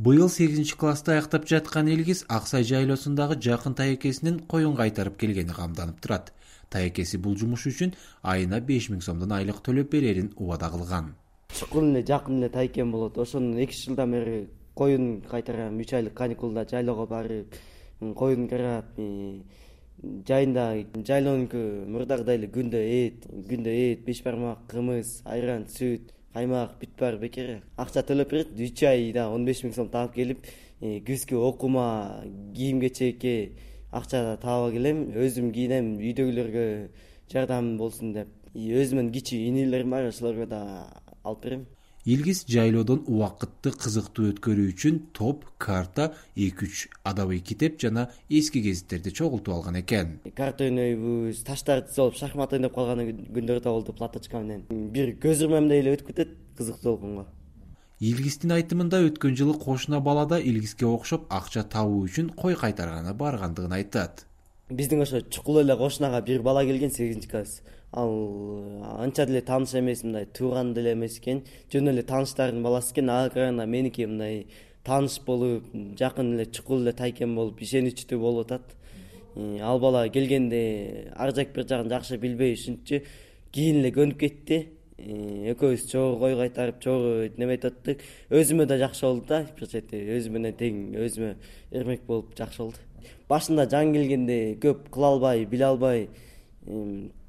Быйыл 8-класста аяктап жаткан Илгиз Аксай жайлоосундагы жакын тайекесинин коюн кайтарып келгени камданып турат. Тайекеси бул жумуш үчүн айына 5000 сомдон айлык төлөп берерин убада кылган. Чукул эле жакын эле тайекем болот. Ошону 2 жылдан бери коюн кайтарам. 3 айлык каникулда жайлоого барып, коюн карап, жайында жайлоонуку мурдагыдай эле күндө эт, беш бармак, кымыз, айран, сүт, каймак, бүт бар бекер. Акча төлөп берет. 3 айда 15000 сом таап келип, күзгү окуума, кийим-кечекке акча таап келем. Өзүм кийинем, үйдөгүлөргө жардам болсун деп. Өзүмдүн кичи инилерим бар, ошолорго да алып берем. Илгиз жайлоодон убакытты кызыктуу өткөрүү үчүн топ, карта, 2-3 адабый китеп жана эски гезиттерди чогултуп алган экен. Карта ойнойбуз, таштарды тизип алып шахмат ойноп калган күндөр да болду платочка менен. Бир көз урмамдай эле өтүп кетет кызыктуу болгонго. Илгиздин айтымында өткөн жылы кошуна бала да Илгизге окшоп акча табуу үчүн кой кайтарганы баргандыгын айтат. Биздин ошо чукул эле кошунага бир бала келген 8-класс. Ал анча деле тааныш эмес, мындай тууган деле эмес экен. Жөн эле тааныштардын баласы экен. Ага караганда меники мындай тааныш болуп, жакын эле чукул эле тайкем болуп, ишеничтүү болуп атат. Ал бала келгенде ар жак бир жагын жакшы билбей ушинчи кийин эле көнүп кетти. Экөөбүз чогуу кой кайтарып, чогуу неметип аттык. Өзүмө да жакшы болду да, бир чети өзүм менен тең, өзүмө эрмек болуп жакшы болду. Башында жаңы келгенде көп кыла албай, биле албай,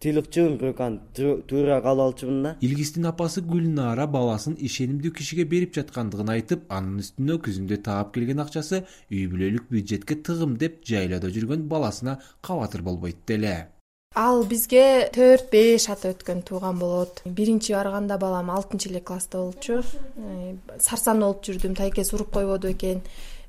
тыйлыкчумун, бирок аны туура кабыл алчумун да. Илгиздин апасы Гүлнара баласын ишенимдүү кишиге берип жаткандыгын айтып, анын үстүнө күзүндө таап келген акчасы үй бүлөлүк бюджетке тыгым деп жайлоодо жүргөн баласына кабатыр болбойт деле. Ал бизге 4-5 ата өткөн тууган болот. Биринчи барганда балам 6-эле класста болчу. Сарсан болуп жүрдүм, тайкес уруп койбоду экен,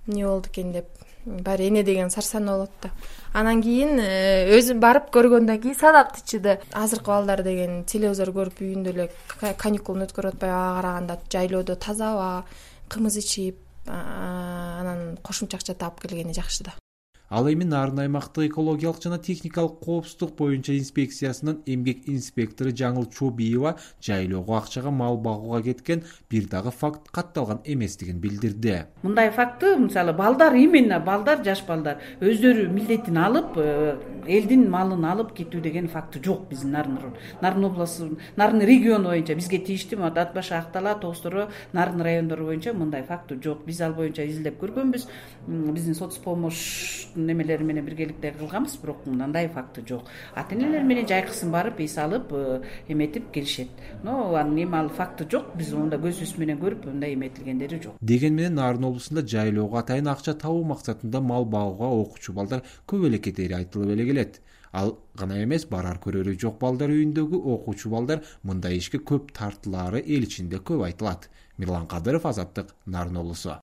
эмне болду экен деп. Баары эне деген сарсан болот да. Анан кийин өзүм барып көргөндөн кийин садап тичиди. Азыркы балдар деген телевизор көрүп үйүндө эле каникулун өткөрүп атпайбы, ага караганда жайлоодо таза аба, кымыз ичип, анан кошумча акча таап келгени жакшы да. Ал эми Нарын аймактык экологиялык жана техникалык коопсуздук боюнча инспекциясынын эмгек инспектору Жаңыл Чобиева жайлоого акчага мал багууга кеткен бир дагы факт катталган эместигин билдирди. Мындай факты, мисалы балдар, именно балдар, жаш балдар өздөрү милдетин алып, элдин малын алып кетүү деген факты жок биздин Нарын областы, Нарын региону боюнча бизге тийиштүү Ат Башы, Актала, Тоостoro, Нарын райондору боюнча мындай факты жок. Биз ал боюнча изилдеп көргөнбүз. Биздин соцпомощь немелери менен биргеликте кылганбыз, бирок мындай факты жок. Ата-энелер менен жайкысын барып, эс алып, эметип келишет. Но эми ал факты жок. Биз онда көзүбүз менен көрүп, мындай эметилгендери жок. Деген менен Нарын облусунда жайлоого атайын акча табуу максатында мал багууга окуучу балдар көп эле кетери айтылып эле келет. Ал гана эмес, барар көрөрү жок балдар үйүндөгү окуучу балдар мындай ишке көп тартылаары эл ичинде көп айтылат. Мирлан Кадыров, Азаттык, Нарын облусу.